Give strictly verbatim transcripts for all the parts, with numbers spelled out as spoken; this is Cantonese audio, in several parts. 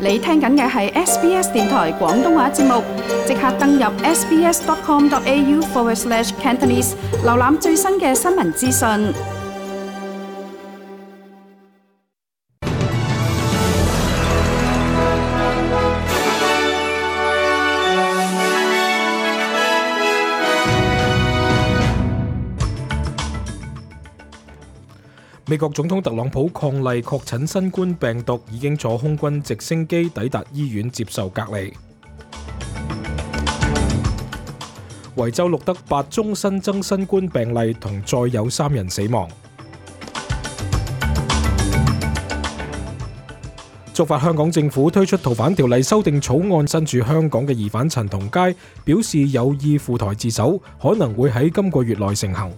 你聽緊嘅係 S B S 電台廣東話節目，即刻登入 sbs.com.au forward slash Cantonese， 瀏覽最新嘅新聞資訊。美國總統特朗普伉儷確診新冠病毒，已經坐空軍直升機抵達醫院接受隔離。維州錄得八宗新增新冠病例，同再有三人死亡。觸發香港政府推出逃犯條例修訂草案，身處香港嘅疑犯陳同佳表示有意赴台自首，可能會喺今個月內成行。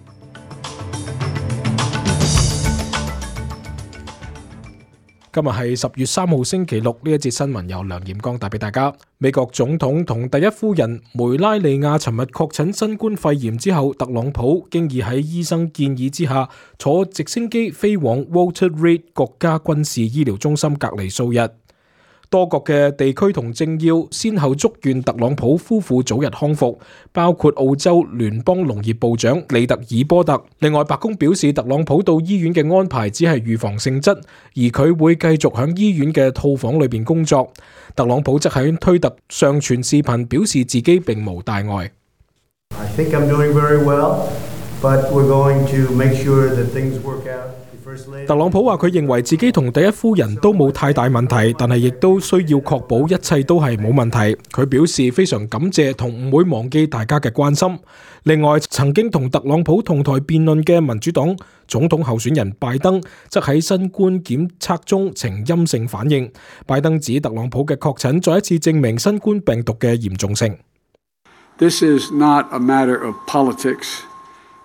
今日係十月三號星期六，呢一節新聞由梁炎光帶俾大家。美國總統同第一夫人梅拉尼亞尋日確診新冠肺炎之後，特朗普經已喺醫生建議之下坐直升機飛往 Walter Reed 國家軍事醫療中心隔離數日。多國嘅地區同政要先後祝願特朗普夫婦早日康復，包括澳洲聯邦農業部長利特爾波特。另外，白宮表示特朗普到醫院嘅安排只係預防性質，而佢會繼續喺醫院嘅套房裏邊工作。特朗普則喺推特上傳視頻，表示自己並無大礙。I think I'm doing very well, but we're going to make sure that things work out. 特朗普話佢認為自己同第一夫人都冇太大問題，但係亦都需要確保一切都係冇問題。佢表示非常感謝同唔會忘記大家嘅關心。另外，曾經同特朗普同台辯論嘅民主黨總統候選人拜登則喺新冠檢測中呈陰性反應。拜登指特朗普嘅確診再一次證明新冠病毒嘅嚴重性。This is not a matter of politics.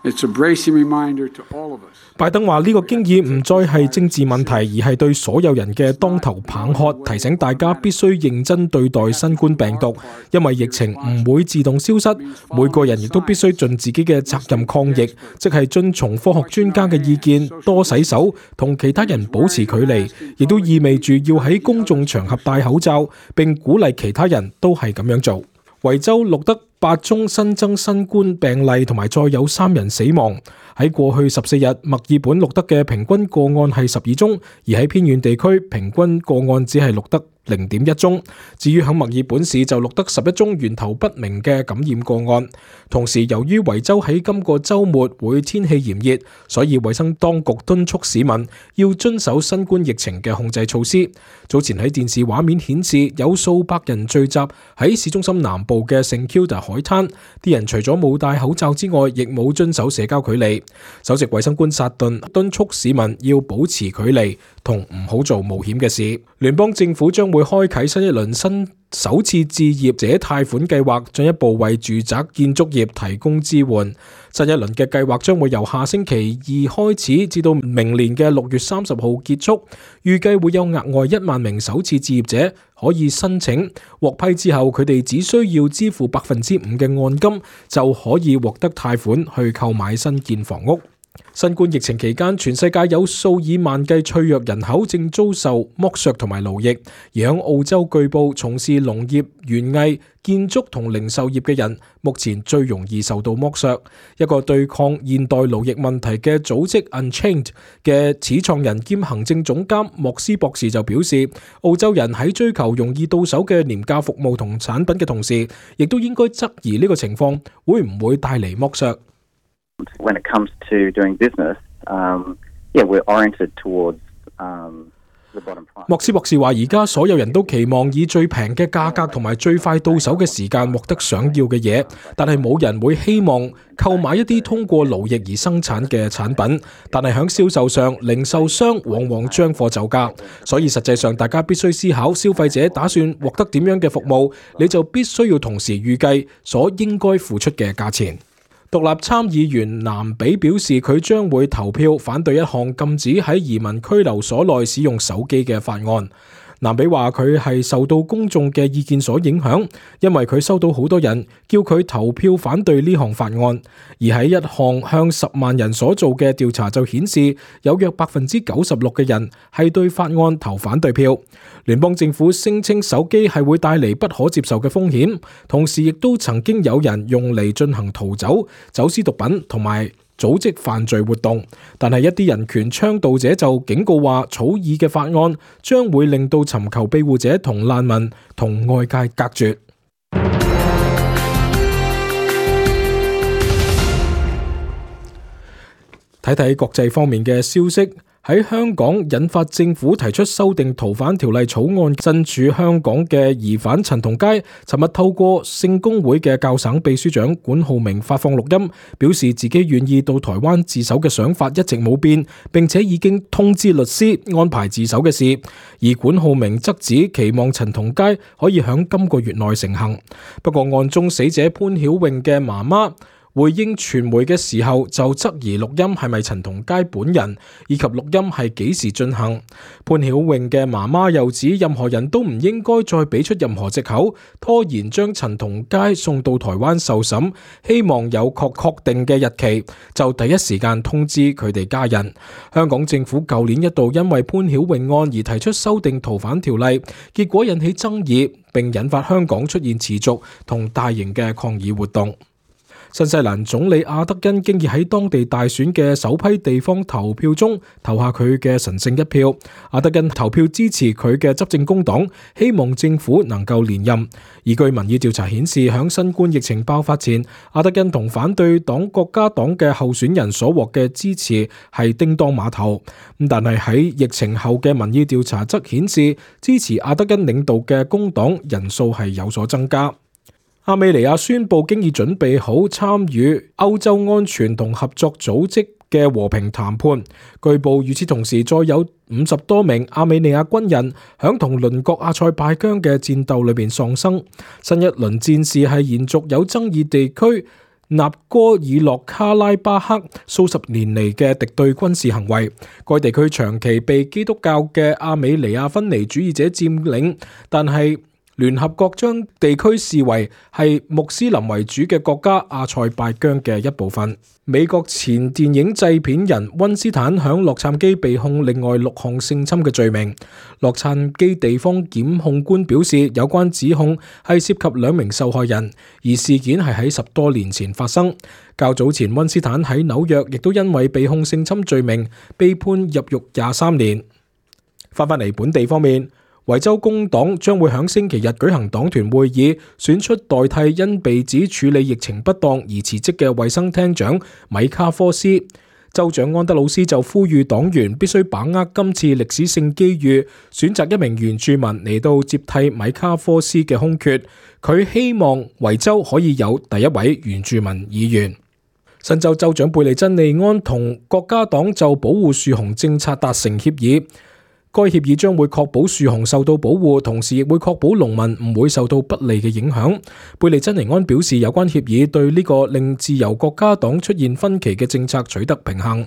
It's a bracing reminder to all of us. 拜登話呢個經已唔再係政治問題，而係對所有人嘅當頭棒喝，提醒大家必須認真對待新冠病毒，因為疫情唔會自動消失，每個人亦都必須盡自己嘅責任抗疫，即係遵從科學專家嘅意見，多洗手，同其他人保持距離，亦都意味住要喺公眾場合戴口罩，並鼓勵其他人都係咁樣做。維州錄得八宗新增新冠病例，同埋再有三人死亡。喺過去十四日，墨爾本錄得嘅平均個案係十二宗，而喺偏遠地區平均個案只係錄得零點一宗。至於喺墨爾本市就錄得十一宗源頭不明嘅感染個案。同時，由於維州喺今個週末會天氣炎熱，所以衛生當局敦促市民要遵守新冠疫情嘅控制措施。早前喺電視畫面顯示，有數百人聚集喺市中心南部嘅聖 Kilda 海灘，啲人除咗冇戴口罩之外，亦冇遵守社交距離。首席衛生官薩頓敦促市民要保持距離，同唔好做冒險嘅事。聯邦政府將會開啟新一輪新首次置業者貸款計劃，進一步為住宅建築業提供支援。新一輪嘅計劃將會由下星期二開始，至到明年嘅六月三十號結束。預計會有額外一萬名首次置業者可以申請，獲批之後，佢哋只需要支付百分之五嘅按金，就可以獲得貸款去購買新建房屋。新冠疫情期間，全世界有數以萬計脆弱人口正遭受剝削同埋奴役，而喺澳洲據報從事農業、園藝、建築同零售業嘅人，目前最容易受到剝削。一個對抗現代奴役問題嘅組織 Unchained 嘅始創人兼行政總監莫斯博士就表示，澳洲人喺追求容易到手嘅廉價服務同產品嘅同時，亦都應該質疑呢個情況會唔會帶嚟剝削。When it comes to doing business, um, yeah, we're oriented towards um, the bottom price. 莫斯博士話：而家所有人都期望以最平嘅價格同埋最快到手嘅時間獲得想要嘅嘢，但係冇人會希望購買一啲通過勞役而生產嘅產品。但係喺銷售上，零售商往往將貨就價，所以實際上大家必須思考消費者打算獲得點樣嘅服務，你就必須要同時預計所應該付出嘅價錢。獨立參議員南比表示，佢將會投票反對一項禁止喺移民拘留所內使用手機嘅法案。南比話佢係受到公眾嘅意見所影響，因為佢收到好多人叫佢投票反對呢項法案，而喺一項向十萬人所做嘅調查就顯示，有約百分之九十六嘅人係對法案投反對票。聯邦政府聲稱手機係會帶嚟不可接受嘅風險，同時亦都曾經有人用嚟進行逃走、走私毒品同埋組織犯罪活動，但係一啲人權倡導者就警告話，草擬嘅法案將會令到尋求庇護者同難民同外界隔絕。睇睇國際方面嘅消息。喺香港引發政府提出修訂逃犯條例草案，身處香港嘅疑犯陳同佳尋日透過聖公會嘅教省秘書長管浩鳴發放錄音，表示自己願意到台灣自首嘅想法一直冇變，並且已經通知律師安排自首嘅事。而管浩鳴則指期望陳同佳可以響今個月內成行。不過案中死者潘曉穎嘅媽媽回應傳媒嘅時候就質疑錄音係咪陳同佳本人，以及錄音係幾時進行。潘曉穎嘅媽媽又指任何人都唔應該再俾出任何藉口，拖延將陳同佳送到台灣受審，希望有確確定嘅日期就第一時間通知佢哋家人。香港政府舊年一度因為潘曉穎案而提出修訂逃犯條例，結果引起爭議，並引發香港出現持續同大型嘅抗議活動。新西蘭總理阿德恩經已喺當地大選嘅首批地方投票中投下佢嘅神聖一票。阿德恩投票支持佢嘅執政工黨，希望政府能夠連任。而據民意調查顯示，響新冠疫情爆發前，阿德恩同反對黨國家黨嘅候選人所獲嘅支持係叮當馬頭。但係喺疫情後嘅民意調查則顯示，支持阿德恩領導嘅工黨人數係有所增加。亞美尼亞宣布經已準備好參與歐洲安全同合作組織嘅和平談判。據報與此同時，再有五十多名亞美尼亞軍人響同鄰國阿塞拜疆嘅戰鬥裏邊喪生。新一輪戰事係延續有爭議地區納戈爾諾卡拉巴克數十年嚟嘅敵對軍事行為。該地區長期被基督教嘅亞美尼亞分離主義者佔領，但係聯合國將地區視為係穆斯林為主嘅國家阿塞拜疆嘅一部分。美國前電影製片人溫斯坦響洛杉磯被控另外六項性侵嘅罪名。洛杉磯地方檢控官表示，有關指控係涉及兩名受害人，而事件係喺十多年前發生。較早前，溫斯坦喺紐約亦都因為被控性侵罪名被判入獄廿三年。翻返嚟本地方面，維州工黨將會喺星期日舉行黨團會議，選出代替因被指處理疫情不當而辭職嘅衛生廳長米卡科斯。州長安德魯斯就呼籲黨員必須把握今次歷史性機遇，選擇一名原住民嚟到接替米卡科斯嘅空缺。佢希望維州可以有第一位原住民議員。新州州長貝利珍利安同國家黨就保護樹熊政策達成協議。該協議將會確保樹熊受到保護，同時亦會確保農民唔會受到不利嘅影響。貝利珍尼安表示，有關協議對呢個令自由國家黨出現分歧嘅政策取得平衡，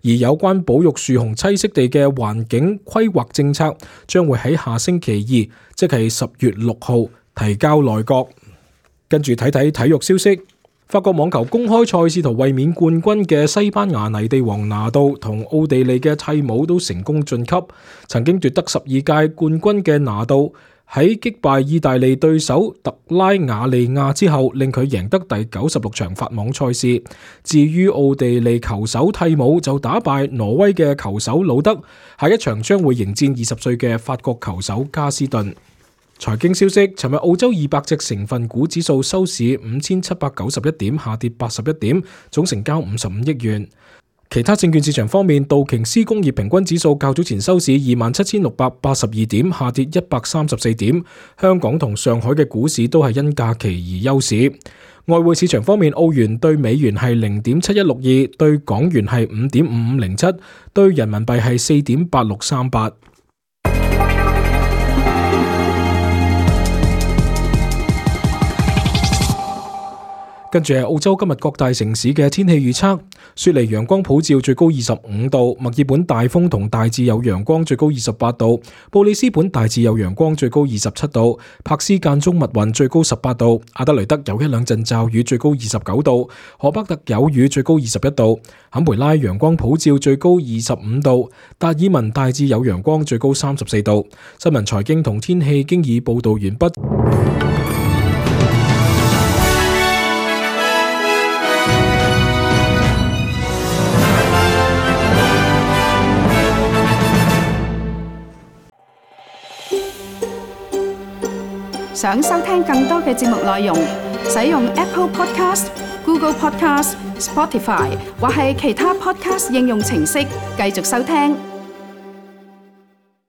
而有關保育樹熊棲息地嘅環境規劃政策將會喺下星期二，即係十月六號提交內閣。跟住睇睇體育消息。法國網球公開賽試圖衛冕冠軍嘅西班牙泥地王拿度同奧地利嘅蒂姆都成功晉級。曾經奪得十二屆冠軍嘅拿度喺擊敗意大利對手特拉瓦利亞之後，令佢贏得第九十六場法網賽事。至於奧地利球手蒂姆就打敗挪威嘅球手魯德，下一場將會迎戰二十歲嘅法國球手加斯頓。財經消息，尋日澳洲二百隻成分股指數收市五千七百九十一點，下跌八十一點，總成交五十五億元。其他證券市場方面，道瓊斯工業平均指數較早前收市二萬七千六百八十二點，下跌一百三十四點。香港同上海嘅股市都係因假期而休市。外匯市場方面，澳元對美元係零點七一六二，對港元係五點五五零七，對人民幣係四點八六三八。跟住係澳洲今日各大城市嘅天氣預測：雪梨陽光普照，最高二十五度；墨爾本大風同大致有陽光，最高二十八度；布里斯本大致有陽光，最高二十七度；柏斯間中密雲，最高十八度；阿德雷德有一兩陣驟雨，最高二十九度；荷北特有雨，最高二十一度；坎培拉陽光普照，最高二十五度；達爾文大致有陽光，最高三十四度。新聞、財經同天氣經已報道完畢。想收聽更多嘅節目內容，使用 Apple Podcast、Google Podcast、Spotify 或係其他 Podcast 應用程式繼續收聽。